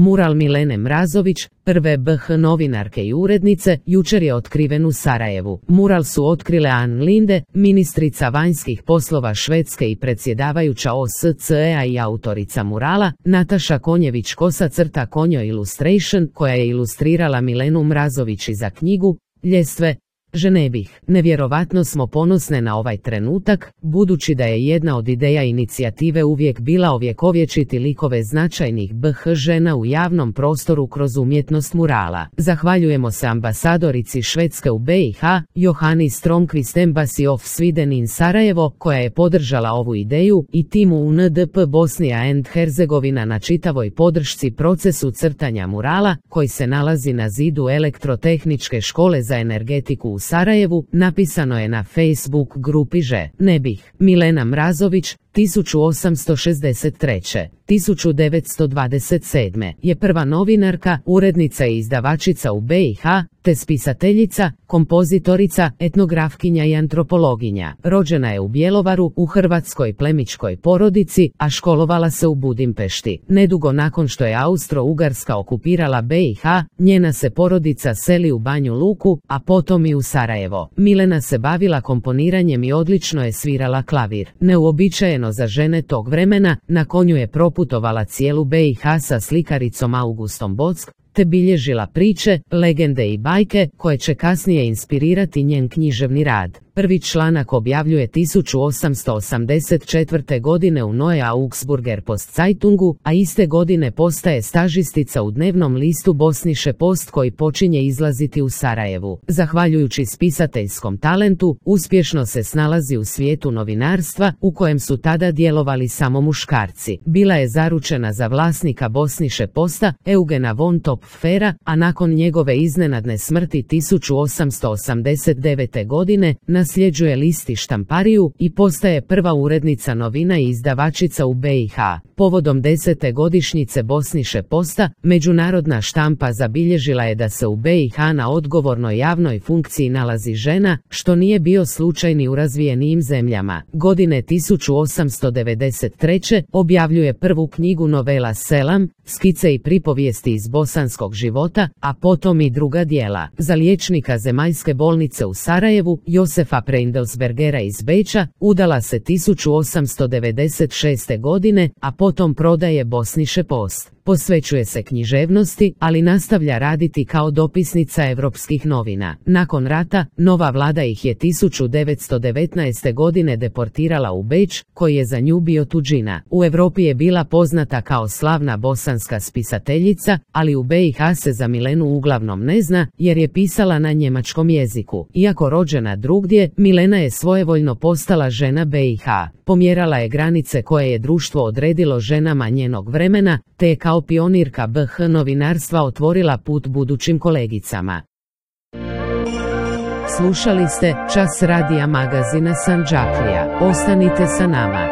Mural Milene Mrazović, prve BH novinarke i urednice, jučer je otkriven u Sarajevu. Mural su otkrile Ann Linde, ministrica vanjskih poslova Švedske i predsjedavajuća OSCE-a i autorica murala, Nataša Konjević-Kosa Konjo Illustration, koja je ilustrirala Milenu Mrazović i za knjigu Ljestve Ženebih. Nevjerovatno smo ponosne na ovaj trenutak, budući da je jedna od ideja inicijative uvijek bila ovjekovječiti likove značajnih BH žena u javnom prostoru kroz umjetnost murala. Zahvaljujemo se ambasadorici Švedske u BiH, Johani Stromqvist Embassy of Sweden in Sarajevo, koja je podržala ovu ideju, i timu UNDP Bosnia and Herzegovina na čitavoj podršci procesu crtanja murala, koji se nalazi na zidu Elektrotehničke škole za energetiku u Sarajevu, napisano je na Facebook grupi Ženebih. Milena Mrazović, 1863. 1927. je prva novinarka, urednica i izdavačica u BiH, te spisateljica, kompozitorica, etnografkinja i antropologinja. Rođena je u Bjelovaru, u hrvatskoj plemićkoj porodici, a školovala se u Budimpešti. Nedugo nakon što je Austro-Ugarska okupirala BiH, njena se porodica seli u Banju Luku, a potom i u Sarajevo. Milena se bavila komponiranjem i odlično je svirala klavir. Neuobičajeno za žene tog vremena, na konju je proputovala cijelu BiH sa slikaricom Augustom Bock, te bilježila priče, legende i bajke, koje će kasnije inspirirati njen književni rad. Prvi članak objavljuje 1884. godine u Neue Augsburger Postzeitungu, a iste godine postaje stažistica u dnevnom listu Bosnische Post koji počinje izlaziti u Sarajevu. Zahvaljujući spisateljskom talentu, uspješno se snalazi u svijetu novinarstva, u kojem su tada djelovali samo muškarci. Bila je zaručena za vlasnika Bosnische Posta, Eugena von Topfera, a nakon njegove iznenadne smrti 1889. godine, nasljeđuje list i štampariju i postaje prva urednica novina i izdavačica u BiH. Povodom 10. godišnjice Bosnische Posta, međunarodna štampa zabilježila je da se u BiH na odgovornoj javnoj funkciji nalazi žena, što nije bio slučaj ni u razvijenijim zemljama. Godine 1893. objavljuje prvu knjigu novela Selam, skice i pripovijesti iz bosanskog života, a potom i druga djela. Za liječnika Zemaljske bolnice u Sarajevu, Josefa Preindelsbergera iz Beča, udala se 1896. godine, a potom prodaje Bosnische Post. Posvećuje se književnosti, ali nastavlja raditi kao dopisnica europskih novina. Nakon rata, nova vlada ih je 1919. godine deportirala u Beč, koji je za nju bio tuđina. U Europi je bila poznata kao slavna bosanska spisateljica, ali u BiH se za Milenu uglavnom ne zna, jer je pisala na njemačkom jeziku. Iako rođena drugdje, Milena je svojevoljno postala žena BiH. Pomjerala je granice koje je društvo odredilo ženama njenog vremena, te je kao pionirka BH novinarstva otvorila put budućim kolegicama. Slušali ste Čas radija magazina Sandžaklija. Ostanite sa nama.